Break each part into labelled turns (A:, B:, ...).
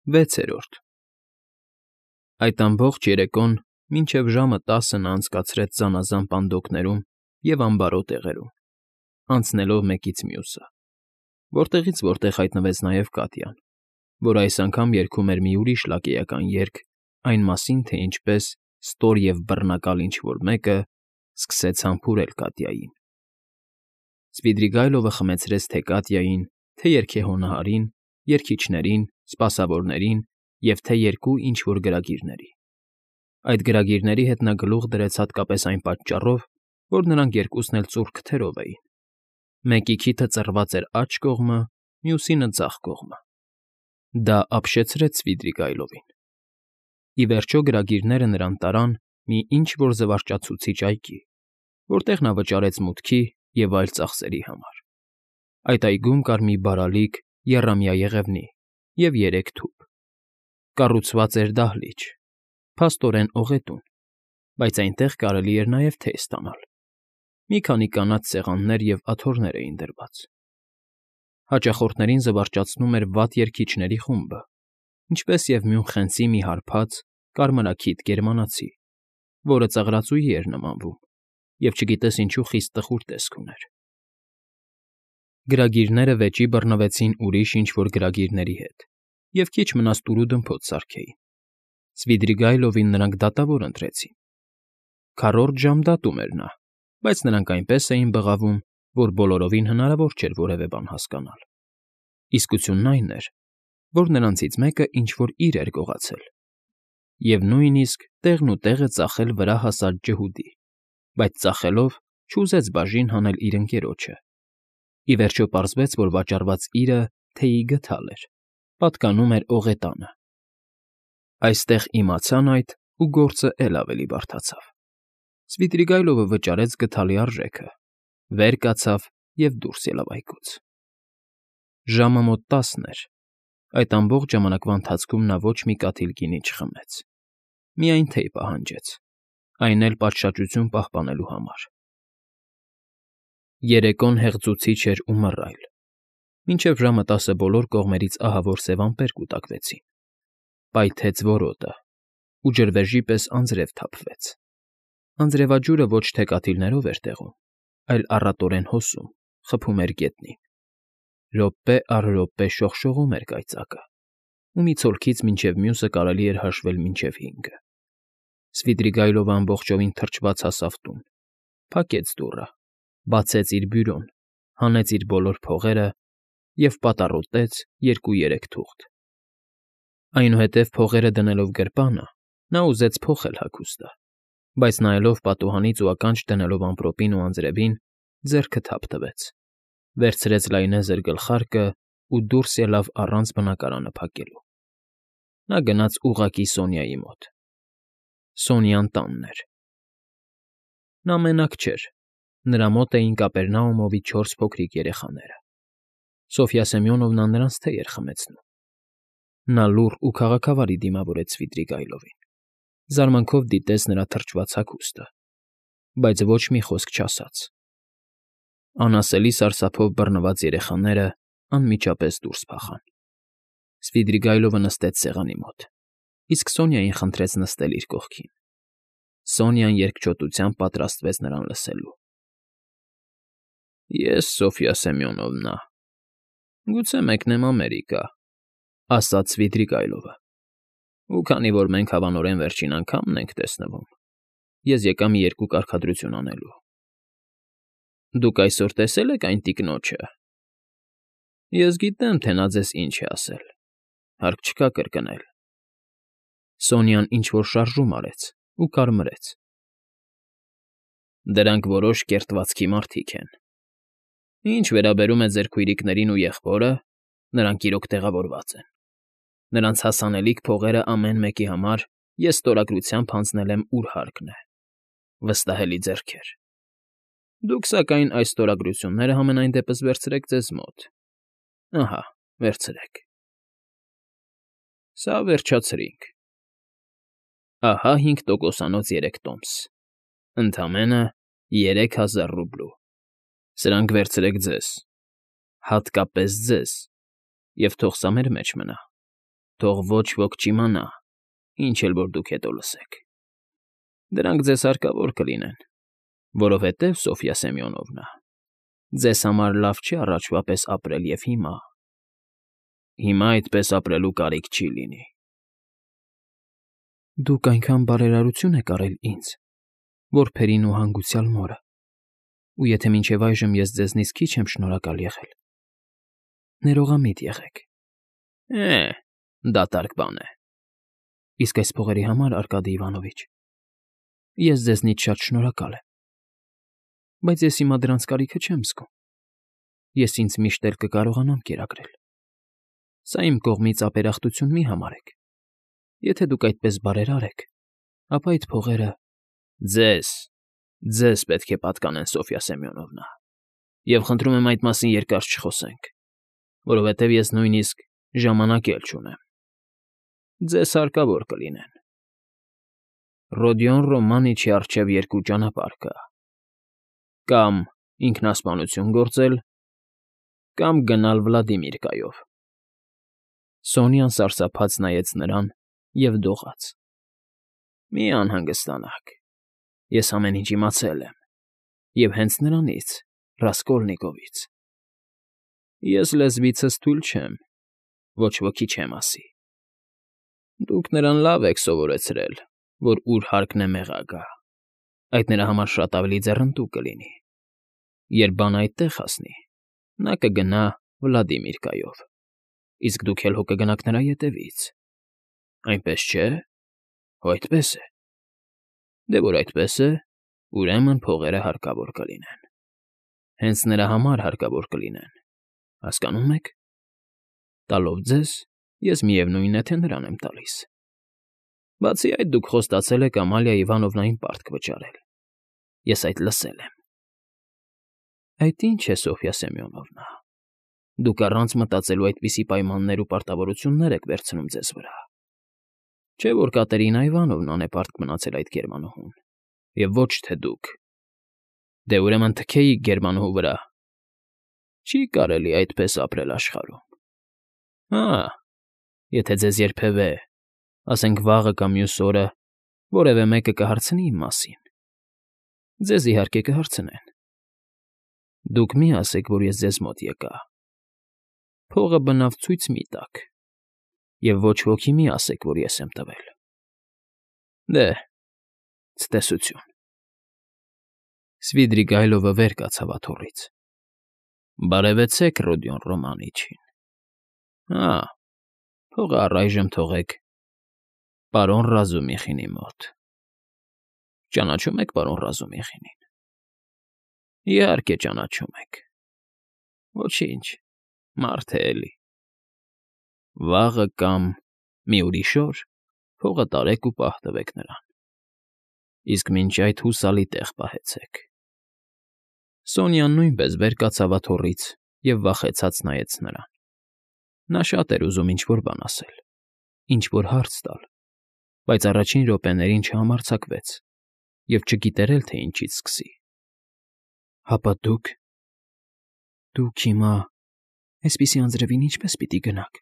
A: 6-րդ Այդ ամբողջ երեկոն մինչև ժամը 10-ը նա անցկացրեց զանազան պանդոկներում և ամբարո տեղերում, անցնելով մեկից մյուսը, որտեղից որտեղ հայտնվեց նաև Կատյան, որ այս անգամ երգում էր մի ուրիշ լակեյական երգ այն մասին, թե ինչպես ստոր և բռնակալ ինչ֊որ մեկը սկսեց համբուրել Կատյային։ Սվիդրիգայլովը խմեցրեց թե Կատյային, թե երգեհոնահարին, երգիչներին, սպասավորներին և թե երկու ինչ֊որ գրագիրների։ Այդ գրագիրների հետ նա գլուխ դրեց հատկապես այն պատճառով, որ նրանք երկուսն էլ ծուռ քթերով էին. մեկի քիթը ծռված էր աջ կողմը, մյուսինը՝ ձախ կողմը։ Դա ապշեցրեց Սվիդրիգայլովին։ Ի վերջո գրագիրները նրան տարան մի ինչ֊որ զվարճացուցիչ այգի, որտեղ նա վճարեց մուտքի և այլ ծախսերի համար։ Այդ այգում կար մի բարալիկ եռամյա եղևնի և 3 թուփ։ Կառուցված էր դահլիճ, փաստորեն օղետուն, բայց այնտեղ կարելի էր նաև թեյ ստանալ։ Մի քանի կանաչ սեղաններ և աթոռներ էին դրված։ Հաճախորդներին զվարճացնում էր վատ երգիչների խումբը, ինչպես և Մյունխենցի մի հարբած, կարմրաքիթ գերմանացի, որը ծաղրածուի էր նմանվում և չգիտես ինչու խիստ տխուր տեսք ուներ։ Գրագիրները վեճի բռնվեցին ուրիշ ինչ֊որ գրագիրների հետ և քիչ մնաց տուրուդմփոց սարքեին։ Սվիդրիգայլովին նրանք դատավոր ընտրեցին։ Քառորդ ժամ դատում էր նա, բայց նրանք այնպես էին բղավում, որ բոլորովին հնարավոր չէր որևէ բան հասկանալ։ Իսկությունն այն էր, որ նրանցից մեկը ինչ֊որ իր էր գողացել, և նույնիսկ տեղն ու տեղը ծախել վրա հասած ջհուդի, բայց ծախելով չուզեց բաժին հանել իր ընկերոջը։ Ի վերջո պարզվեց, որ վաճառված իրը թեյի գդալ էր, պատկանում էր օղետանը։ Այստեղ իմացան այդ, ու գործը էլ ավելի բարդացավ։ Սվիդրիգայլովը վճարեց գդալի արժեքը, վեր կացավ և դուրս ելավ այգուց։ Ժամը մոտ 10 էր։ Այդ ամբողջ ժամանակվա ընթացքում նա ոչ մի կաթիլ գինի չխմեց, միայն թեյ պահանջեց, այն էլ պատշաճություն պահպանելու համար։ Երեկոն հեղձուցիչ էր ու մռայլ։ Մինչև ժամը 10-ը բոլոր կողմերից ահավոր սև ամպեր կուտակվեցին։ Պայթեց որոտը, ու ջրվեժի պես անձրև թափվեց։ Անձրևաջուրը ոչ թե կաթիլներով էր տեղում, այլ առատորեն հոսում, խփում էր գետնին։ Րոպե առ րոպե շողշողում էր կայծակը, ու մի ցոլքից մինչև մյուսը կարելի էր հաշվել մինչև 5։ Սվիդրիգայլովը ամբողջովին թրջված հասավ տուն, փակեց դուռը, բացեց իր բյուրոն, հանեց իր բոլոր փողերը և պատառոտեց 2-3 թուղթ։ Այնուհետև փողերը դնելով գրպանը՝ նա ուզեց փոխել հագուստը, բայց նայելով պատուհանից ու ականջ դնելով ամպրոպին ու անձրևին, ձեռքը թափ տվեց, վերցրեց լայնեզր գլխարկը ու դուրս ելավ առանց բնակարանը փակելու։ Նա գնաց ուղղակի Սոնյայի մոտ։ Սոնյան տանն էր։ Նա մենակ չէր, նրա մոտ էին Կապերնաումովի 4 փոքրիկ երեխաները։ Սոֆյա Սեմյոնովնան նրանց թեյ էր խմեցնում։ Նա լուռ ու քաղաքավարի դիմավորեց Սվիդրիգայլովին, զարմանքով դիտեց նրա թրջված հագուստը, բայց ոչ մի խոսք չասաց։ Անասելի սարսափով բռնված երեխաները անմիջապես դուրս փախան։ Սվիդրիգայլովը նստեց սեղանի մոտ, իսկ Սոնյային խնդրեց նստել իր կողքին։ Սոնյան երկչոտությամբ պատրաստվեց նրան լսելու։ Ես, Սոֆյա Սեմյոնովնա, գուցե մեկնեմ Ամերիկա, ասաց Սվիդրիգայլովը, ու քանի որ մենք հավանորեն վերջին անգամն ենք տեսնվում, ես եկա մի երկու կարգադրություն անելու։ Դուք այսօր տեսե՞լ եք այն տիկնոջը։ Ես գիտեմ, թե նա ձեզ ինչ է ասել, հարկ չկա կրկնել։ Սոնյան ինչ֊որ շարժում արեց ու կարմրեց։ Դրանք որոշ կերտվածքի մարդիկ են։ Ինչ վերաբերում է ձեր քույրիկներին ու եղբորը, նրանք իրոք տեղավորված են։ Նրանց հասանելիք փողերը ամեն մեկի համար ես ստորագրությամբ հանձնել եմ ուր հարկն է։ Վստահելի ձեռքեր։ Դուք, սակայն, այս ստորագրությունները համենայն դեպս վերցրեք ձեզ մոտ։ Ահա, վերցրեք։ Սա վերջացրինք։ Ահա 5%-անոց 3 տոմս, ընդամենը 3000 ռուբլու։ Սրանք վերցրեք ձեզ, հատկապես ձեզ, և թող սա մեր մեջ մնա։ Թող ոչ ոք չիմանա, ինչ էլ որ դուք հետո լսեք։ Դրանք ձեզ հարկավոր կլինեն, որովհետև, Սոֆյա Սեմյոնովնա, ձեզ համար լավ չի առաջվա պես ապրել և հիմա այդպես ապրելու կարիք չի լինի։ Դուք այնքան բարերարություն եք արել ինձ, որբերին ու հանգուցյալ մորը, ու եթե մինչև այժմ ես ձեզնից քիչ եմ շնորհակալ եղել, ներողամիտ եղեք։ Դատարկ բան է։ Իսկ այս փողերի համար, Արկադի Իվանովիչ, ես ձեզնից շատ շնորհակալ եմ, բայց ես հիմա դրանց կարիքը չեմ զգում։ Ես ինձ միշտ էլ կկարողանամ կերակրել։ Սա իմ կողմից ապերախտություն մի համարեք։ Եթե դուք այդպես բարերար եք, ապա այդ փողերը… Ձեզ պետք է պատկանեն, Սոֆյա Սեմյոնովնա, և խնդրում եմ այդ մասին երկար չխոսենք, որովհետև ես նույնիսկ ժամանակ էլ չունեմ։ Ձեզ հարկավոր կլինեն։ Ռոդիոն Ռոմանիչի առջև երկու ճանապարհ կա. կամ ինքնասպանություն գործել, կամ գնալ Վլադիմիրկայով։ Սոնյան սարսափած նայեց նրան և դողաց. Մի անհանգստանաք, ես ամեն ինչ իմացել եմ, և հենց նրանից, Ռասկոլնիկովից։ Ես լեզվիցս թույլ չեմ, ոչ ոքի չեմ ասի։ Դուք նրան լավ եք սովորեցրել, որ ուր հարկն է մեղա գա, այդ նրա համար շատ ավելի ձեռնտու կլինի։ Երբ բանը այդտեղ հասնի, նա կգնա Վլադիմիրկայով, իսկ դուք էլ հո կգնաք նրա ետևից։ Այնպես չէ՞։ Հո այդպես է։ Դե որ այդպես է, ուրեմն փողերը հարկավոր կլինեն։ Հենց նրա համար հարկավոր կլինեն, հասկանո՞ւմ եք։ Տալով ձեզ, ես միևնույն է, թե նրան եմ տալիս։ Բացի այդ, դուք խոստացել եք Ամալիա Իվանովնային պարտք վճարել։ Ես այդ լսել եմ։ Այդ ի՞նչ է, Սոֆյա Սեմյոնովնա, դուք առանց մտածելու այդպիսի պայմաններ ու պարտավորություններ եք վերցնում ձեզ վրա։ Չէ՞ որ Կատերինա Իվանովնան է պարտք մնացել այդ գերմանուհուն, և ոչ թե դուք։ Դե ուրեմն թքեիք գերմանուհու վրա։ Չի կարելի այդպես ապրել աշխարհում։ Եթե ձեզ երբևէ, ասենք վաղը կամ մյուս օրը, որևէ մեկը կհարցնի իմ մասին, ձեզ իհարկե կհարցնեն։ Դուք մի ասեք, որ ես ձեզ մոտ եկա։ Փողը բնավ ցույց մի տաք, և ոչ ոքի մի ասեք, որ ես եմ տվել։ Դե, ցտեսություն։ Սվիդրիգայլովը վեր կացավ աթոռից։ Բարևեցեք Ռոդիոն Ռոմանիչին։ Փողը առայժմ թողեք պարոն Ռազումիխինի մոտ։ Ճանաչո՞ւմ եք պարոն Ռազումիխինին։ Իհարկե ճանաչում եք։ Ոչինչ, մարդ է էլի։ Վաղը կամ մի ուրիշ օր փողը տարեք ու պահ տվեք նրան։ Իսկ մինչ այդ հուսալի տեղ պահեցեք։ Սոնյան նույնպես վեր կացավ աթոռից և վախեցած նայեց նրան։ Նա շատ էր ուզում ինչ֊որ բան ասել, ինչ֊որ հարց տալ, բայց առաջին րոպեներին չհամարձակվեց և չգիտեր էլ, թե ինչից սկսի։ Հապա դուք հիմա այսպիսի անձրևին ինչպե՞ս պիտի գնաք։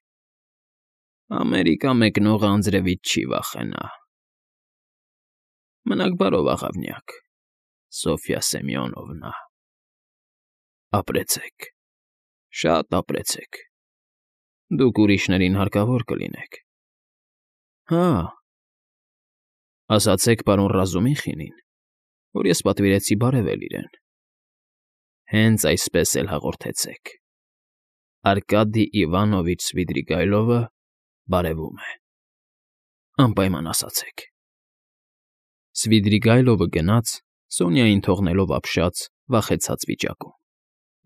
A: Ամերիկա մեկնողը անձրևից չի վախենա։ Մնաք բարով, աղավնյակ, Սոֆյա Սեմյոնովնա։ Ապրեցեք, շատ ապրեցեք։ Դուք ուրիշներին հարկավոր կլինեք։ Ասացեք պարոն Ռազումիխինին, որ ես պատվիրեցի բարևել իրեն։ Հենց այսպես էլ հաղորդեցեք. Արկադի Իվանովիչ Սվիդրիգայլովը բարևում է։ Անպայման ասացեք։ Սվիդրիգայլովը գնաց, Սոնյային թողնելով ապշած, վախեցած վիճակում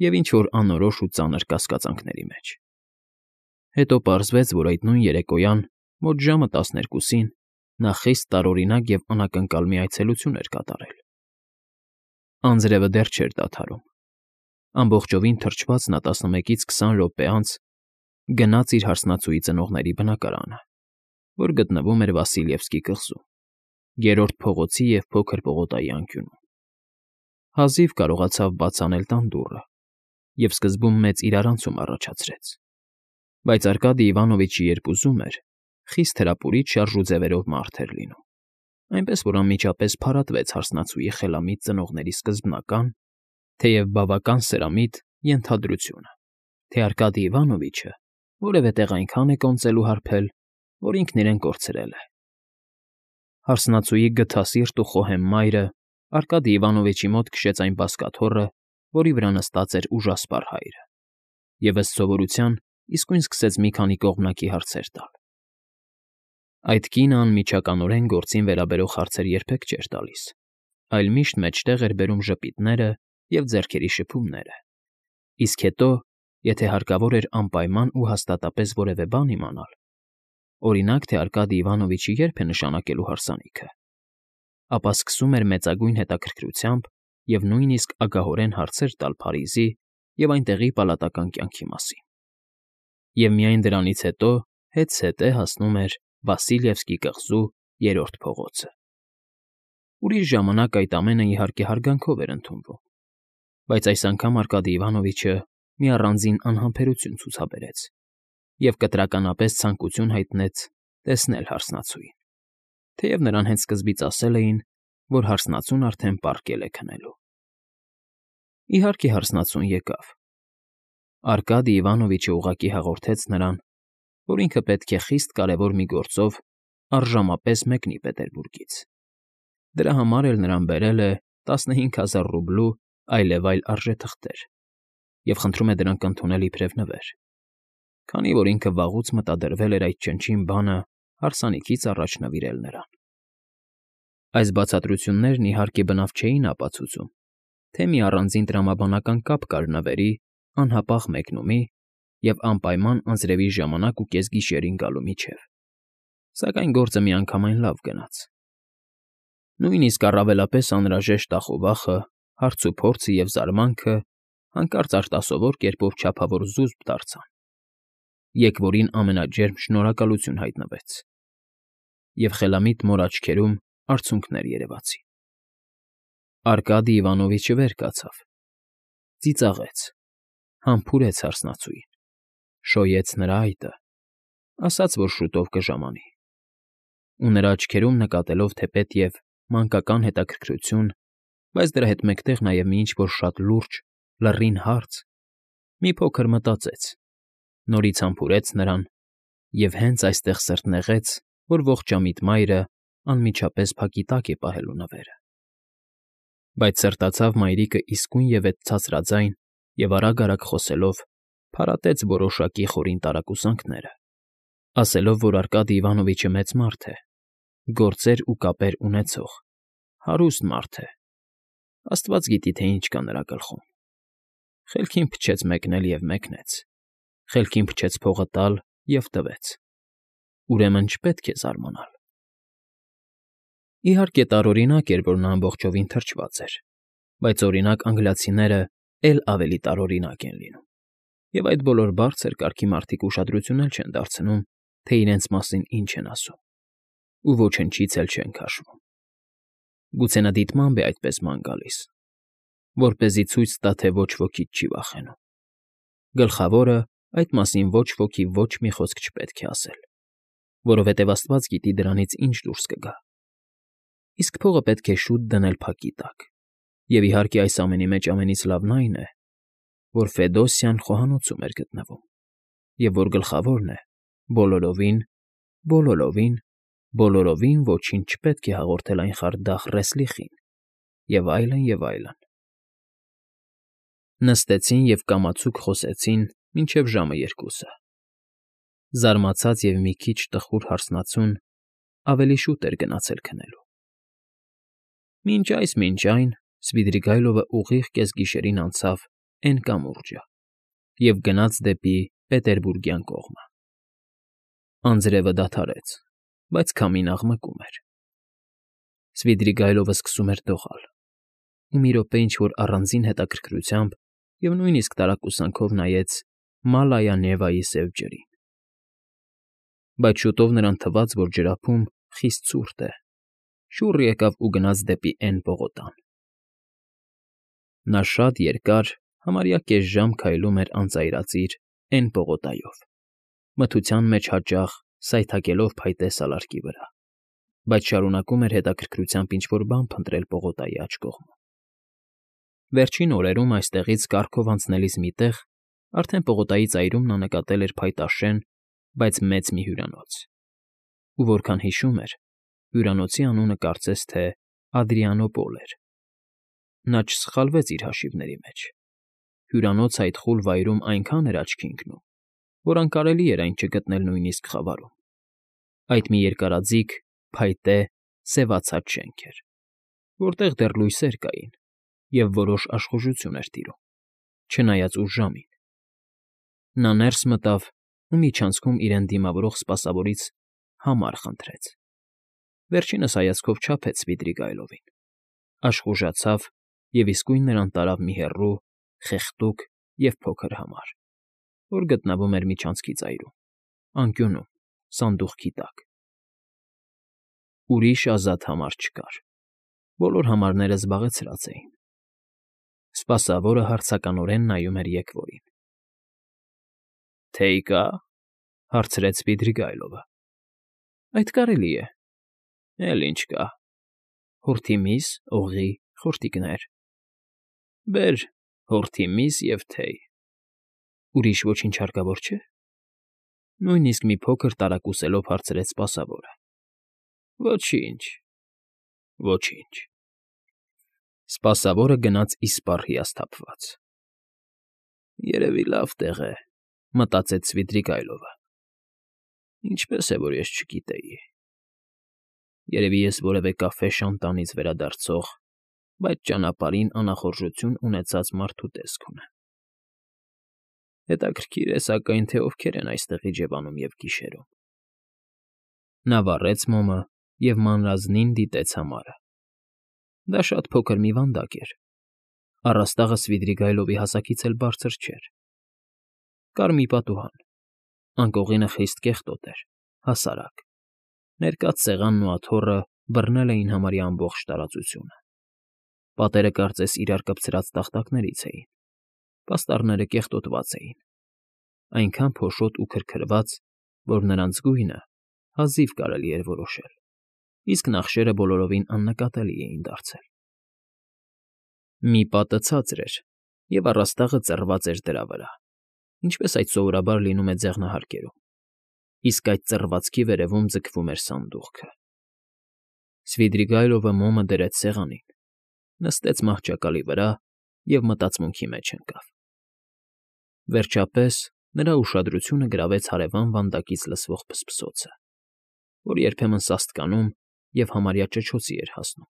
A: և ինչ֊որ անորոշ ու ծանր կասկածանքների մեջ։ Հետո պարզվեց, որ այդ նույն երեկոյան, մոտ ժամը 12-ին, նա խիստ տարօրինակ և անակնկալ մի այցելություն էր կատարել։ Անձրևը դեռ չէր դադարում։ Ամբողջովին թրջված նա 11-ից 20 րոպե անց գնաց իր հարսնացուի ծնողների բնակարանը, որ գտնվում էր Վասիլևսկի կղզում, Երրորդ փողոցի և Փոքր պողոտայի անկյունում։ Հազիվ կարողացավ բաց անել տան դուռը և սկզբում մեծ իրարանցում առաջացրեց, բայց Արկադի Իվանովիչը երբ ուզում էր, խիստ հրապուրիչ շարժուձևերով մարդ էր լինում, այնպես որ անմիջապես փարատվեց հարսնացուի խելամիտ ծնողների սկզբնական, թեև բավական սրամիտ ենթադրությունը, թե Արկադի Իվանովիչը որևէ տեղ այնքան է կոնծել ու հարբել, որ ինքն իրեն կորցրել է։ Հարսնացուի գթասիրտ ու խոհեմ մայրը Արկադի Իվանովիչի մոտ քշեց այն բազկաթոռը, որի վրա նստած էր ուժասպառ հայրը, և ըստ սովորության իսկույն սկսեց մի քանի կողմնակի հարցեր տալ։ Այդ կինը անմիջականորեն գործին վերաբերող հարցեր երբեք չէր տալիս, այլ միշտ մեջտեղ էր բերում ժպիտները և ձեռքերի շփումները, իսկ հետո, եթե հարկավոր էր անպայման ու հաստատապես որևէ բան իմանալ, օրինակ, թե Արկադի Իվանովիչը երբ է նշանակելու հարսանիքը, ապա սկսում էր մեծագույն հետաքրքրությամբ և նույնիսկ ագահորեն հարցեր տալ Փարիզի և այնտեղի պալատական կյանքի մասին։ Եվ միայն դրանից հետո հետզհետե հասնում էր Վասիլևսկի կղզու երրորդ փողոցը։ Ուրիշ ժամանակ այդ ամենը իհարկե հարգանքով էր ընդունվում, բայց այս անգամ Արկադի Իվանովիչը մի առանձին անհամբերություն ցուցաբերեց և կտրականապես ցանկություն հայտնեց տեսնել հարսնացուին, թեև նրան հենց սկզբից ասել էին, որ հարսնացուն արդեն պառկել է քնելու։ Իհարկե հարսնացուն եկավ։ Արկադի Իվանովիչը ուղղակի հաղորդեց նրան, որ ինքը պետք է խիստ կարևոր մի գործով առժամապես մեկնի Պետերբուրգից։ Դրա համար էլ նրան բերել է 15,000 ռուբլու այլևայլ արժեթղթեր և խնդրում է դրանք ընդունել իբրև նվեր, քանի որ ինքը վաղուց մտադրվել էր այդ չնչին բանը հարսանիքից առաջ նվիրել նրան։ Այս բացատրություններն իհարկե բնավ չէին ապացուցում, թե մի առանձին տրամաբանական կապ կար նվերի, անհապաղ մեկնումի և անպայման անձրևի ժամանակ ու կեսգիշերին գալու միջև, սակայն գործը միանգամայն լավ գնաց։ Նույնիսկ առավելապես անհրաժեշտ ախովախը, հարցուփորձը և զարմանքը հանկարծ արտասովոր կերպով չափավոր զուսպ դարձան, եկվորին ամենաջերմ շնորհակալություն հայտնվեց, և խելամիտ մոր աչքերում արցունքներ երևացին։ Արկադի Իվանովիչը վեր կացավ, ծիծաղեց, համբուրեց հարսնացուին, շոյեց նրա այտը, ասաց, որ շուտով կժամանի, ու նրա աչքերում նկատելով թեպետև մանկական հետաքրքրություն, բայց դրա հետ մեկտեղ նաև մի ինչ֊որ շատ լուրջ, լռին հարց, մի փոքր մտածեց, նորից համբուրեց նրան և հենց այստեղ սրտնեղեց, որ ողջամիտ մայրը անմիջապես փակի տակ է պահելու նվերը։ Բայց սրտացավ մայրիկը իսկույնևեթ ցածրաձայն և արագ֊արագ խոսելով փարատեց որոշակի խորին տարակուսանքները, ասելով, որ Արկադի Իվանովիչը մեծ մարդ է, գործեր ու կապեր ունեցող, հարուստ մարդ է, աստված գիտի, թե ինչ կա նրա գլխում։ Խելքին փչեց մեկնել և մեկնեց, խելքին փչեց փողը տալ և տվեց, ուրեմն չպետք է զարմանալ։ Իհարկե տարօրինակ էր, որ նա ամբողջովին թրջված էր, բայց օրինակ անգլիացիները էլ ավելի տարօրինակ են լինում, և այդ բոլոր բարձր կարգի մարդիկ ուշադրություն էլ չեն դարձնում, թե իրենց մասին ինչ են ասում, ու ոչնչից էլ չեն քաշվում։ Գուցե նա դիտմամբ է այդպես ման գալիս, որպեսզի ցույց տա, թե ոչ ոքից չի վախենում։ Գլխավորը, այդ մասին ոչ ոքի ոչ մի խոսք չպետք է ասել, որովհետև աստված գիտի դրանից ինչ դուրս կգա։ Իսկ փողը պետք է շուտ դնել փակի տակ, և իհարկե այս ամենի մեջ ամենից լավն այն է, որ Ֆեդոսյան խոհանոցում էր գտնվում, և որ գլխավորն է, բոլորովին ոչինչ չպետք է հաղորդել այն խարդախ Ռեսլիխին, և այլն, և այլն։ Նստեցին և կամացուկ խոսեցին մինչև ժամը 2-ը։ Զարմացած և մի քիչ տխուր հարսնացուն ավելի շուտ էր գնացել քնելու։ Մինչ այն Սվիդրիգայլովը ուղիղ կեսգիշերին անցավ Էն կամուրջը և գնաց դեպի Պետերբուրգյան կողմը։ Անձրևը դադարեց, բայց քամին աղմկում էր։ Սվիդրիգայլովը սկսում էր դողալ, ու մի րոպե ինչ֊որ առանձին հետաքրքրությամբ և նույնիսկ տարակուսանքով նայեց Մալայա֊Նևայի սև ջրին։ Բայց շուտով նրան թվաց, որ ջրափում խիստ ցուրտ է, շուռ եկավ ու գնաց դեպի Էն պողոտան։ Նա շատ երկար, համարյա կես ժամ քայլում էր անծայրածիր Էն պողոտայով, մթության մեջ հաճախ սայթաքելով փայտե սալարկի վրա, բայց շարունակում էր հետաքրքրությամբ ինչ֊որ բան փնտրել պողոտայի աջ կողմում։ Վերջին օրերում այստեղից կառքով անցնելիս մի տեղ, արդեն պողոտայի ծայրում նա նկատել էր փայտաշեն, բայց մեծ մի հյուրանոց, ու որքան հիշում էր, հյուրանոցի անունը կարծես թե Ադրիանոպոլ էր։ Նա չսխալվեց իր հաշիվների մեջ։ Հյուրանոցը այդ խուլ վայրում այնքան էր աչքի ընկնում, որ անկարելի էր այն չգտնել նույնիսկ խավարում։ Այդ մի երկարաձիգ, փայտե, սևացած շենք էր, որտեղ դեռ լույսեր կային և որոշ աշխուժություն էր տիրում, չնայած ուշ ժամին։ Նա ներս մտավ ու միջանցքում իրեն դիմավորող սպասավորից համար խնդրեց։ Վերջինս հայացքով չափեց Սվիդրիգայլովին, աշխուժացավ և իսկույն նրան տարավ մի հեռու, խեղդուկ և փոքր համար, որ գտնվում էր միջանցքի ծայրում, անկյունում, սանդուղքի տակ։ Ուրիշ ազատ համար չկար, բոլոր համարները զբաղեցրած էին։ Սպասավորը հարցականորեն նայում էր եկվորին։ ֊ Թեյ կա՞, հարցրեց Սվիդրիգայլովը։ ֊ Այդ կարելի է։ ֊ Էլ ինչ կա։ Հորթի միս, օղի, խորտիկներ։ ֊ Բեր հորթի միս և թեյ։ ֊ Ուրիշ ոչինչ հարկավոր չէ՞։ Նույնիսկ մի փոքր տարակուսելով հարցրեց սպասավորը։ ֊ Ոչինչ, ոչինչ։ Սպասավորը գնաց իսպառ հիասթափված։ «Երևի լավ տեղ է», մտածեց Սվիդրիգայլովը։ «Ինչպես է, որ ես չգիտեի։ Երևի ես որևէ կաֆե֊շանտանից վերադարձող, բայց ճանապարհին անախորժություն ունեցած մարդու տեսք ունեմ։ Հետաքրքիր է, սակայն, թե ովքեր են այստեղ իջևանում և գիշերում»։ Նա վառեց մոմը և մանրազնին դիտեց համարը։ Դա շատ փոքր մի վանդակ էր։ Առաստաղը Սվիդրիգայլովի հասակից էլ բարձր չէր։ Կար մի պատուհան։ Անկողինը խիստ կեղտոտ էր, հասարակ։ Ներկած սեղանն ու աթոռը բռնել էին համարյա ամբողջ տարածությունը։ Պատերը կարծես իրար կպցրած տախտակներից էին։ Պաստառները կեղտոտված էին, այնքան փոշոտ ու քրքրված, որ նրանց գույնը հազիվ կարելի էր որոշել, իսկ նախշերը բոլորովին աննկատելի էին դարձել։ Մի պատը ցածր էր, և առաստաղը ծռված էր դրա վրա, ինչպես այդ սովորաբար լինում է ձեղնահարկերում, իսկ այդ ծռվածքի վերևում ձգվում էր սանդուղքը։ Սվիդրիգայլովը մոմը դրեց սեղանին, նստեց մահճակալի վրա և մտածմունքի մեջ ընկավ։ Վերջապես նրա ուշադրությունը գրավեց հարևան վանդակից լսվող փսփսոցը, որ երբեմն սաստկանում և համարյա ճչոցի էր հասնում։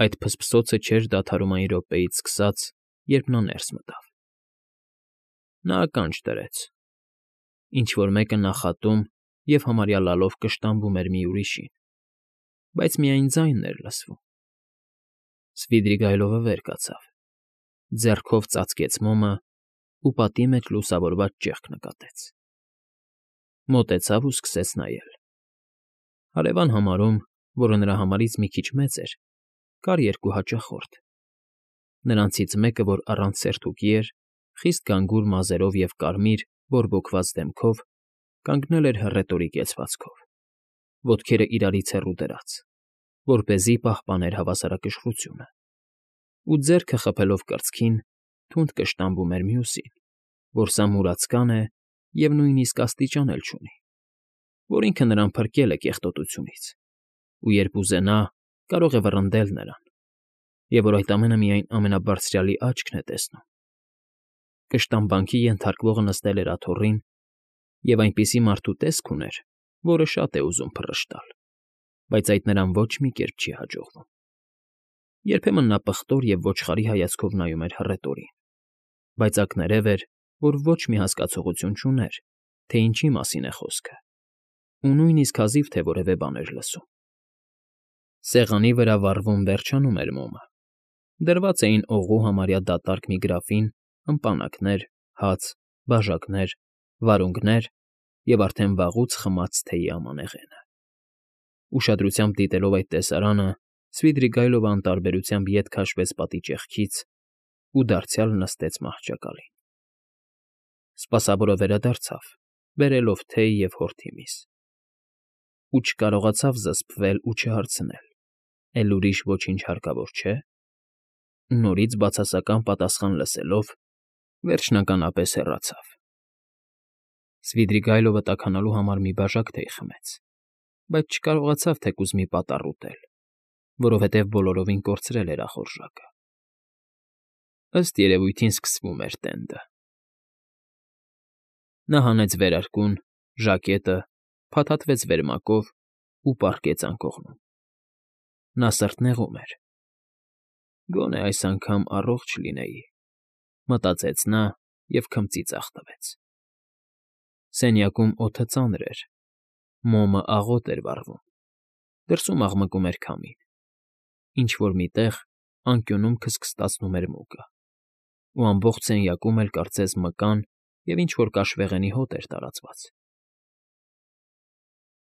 A: Այդ փսփսոցը չէր դադարում այն րոպեից սկսած, երբ նա ներս մտավ։ Նա ականջ դրեց։ Ինչ֊որ մեկը նախատում և համարյա լալով կշտամբում էր մի ուրիշին, բայց միայն ձայնն էր լսվում։ Սվիդրիգայլովը վեր կացավ, ձեռքով ծածկեց մոմը ու պատի մեջ լուսավորված ճեղք նկատեց։ Մոտեցավ ու սկսեց նայել։ Հարևան համարում, որը նրա համարից մի քիչ մեծ էր, կար երկու հաճախորդ։ Նրանցից մեկը, որ առանց սերտուկի էր, խիստ գանգուր մազերով և կարմիր, բորբոքված դեմքով, կանգնել էր հռետորի կեցվածքով, ոտքերը իրարից հեռու դրած, որպեսզի պահպաներ հավասարակշռությունը, ու ձեռքը խփելով կրծքին, թունդ կշտամբում էր մյուսին, որ սա մուրացկան է և նույնիսկ աստիճան էլ չունի, որ ինքը նրան փրկել է կեղտոտությունից, ու երբ ուզենա, կարող է վռնդել նրան, և որ այդ ամենը միայն ամենաբարձրյալի աչքն է տեսնում։ Կշտամբանքի ենթարկվողը նստել էր աթոռին և այնպիսի մարդու տեսք ուներ, որը շատ է ուզում փռշտալ, բայց այդ նրան ոչ մի կերպ չի հաջողվում։ Երբեմն նա պղտոր և ոչխարի հայացքով նայում էր հռետորին, բայց ակներև էր, որ ոչ մի հասկացողություն չուներ, թե ինչի մասին է խոսքը, ու նույնիսկ հազիվ թե որևէ բան էր լսում։ Սեղանի վրա վառվում վերջանում էր մոմը։ Դրված էին օղու համարյա դատարկ մի գրաֆին ըմպանակներ, հաց, բաժակներ, վարունգներ և արդեն վաղուց խմած թեյի ամանեղենը։ Ուշադրությամբ դիտելով այդ տեսարանը, Սվիդրիգայլովը անտարբերությամբ ետ քաշվեց պատի ճեղքից ու դարձյալ նստեց մահճակալին։ Սպասավորը վերադարձավ բերելով թեյ և հորթի միս։ Ու չկարողացավ զսպվել ու չհարցնել. «Էլ ուրիշ ոչինչ հարկավոր չէ՞»։ Նորից բացասական պատասխան լսելով՝ վերջնականապես հեռացավ։ Սվիդրիգայլովը տաքանալու համար մի բաժակ թեյ խմեց, բայց չկարողացավ թեկուզ մի պատառ ուտել, որովհետև բոլորովին կորցրել էր ախորժակը։ Ըստ երևույթին սկսվում էր տենդը։ Նա հանեց վերարկուն, ժակետը, փաթաթվեց վերմակով ու պառկեց անկողնում։ Նա սրտնեղում էր։ «Գոնե այս անգամ առողջ լինեի», մտածեց նա և քմծի ձախ տվեց։ Սենյակում օդը ծանր էր, մոմը աղոտ էր վառվում, դրսում աղմկում էր քամին, ինչ֊որ մի տեղ անկյունում քստքստացնում էր մուկը, ու ամբողջ սենյակում էլ կարծես մկան և ինչ֊որ կաշվեղենի հոտ էր տարածված։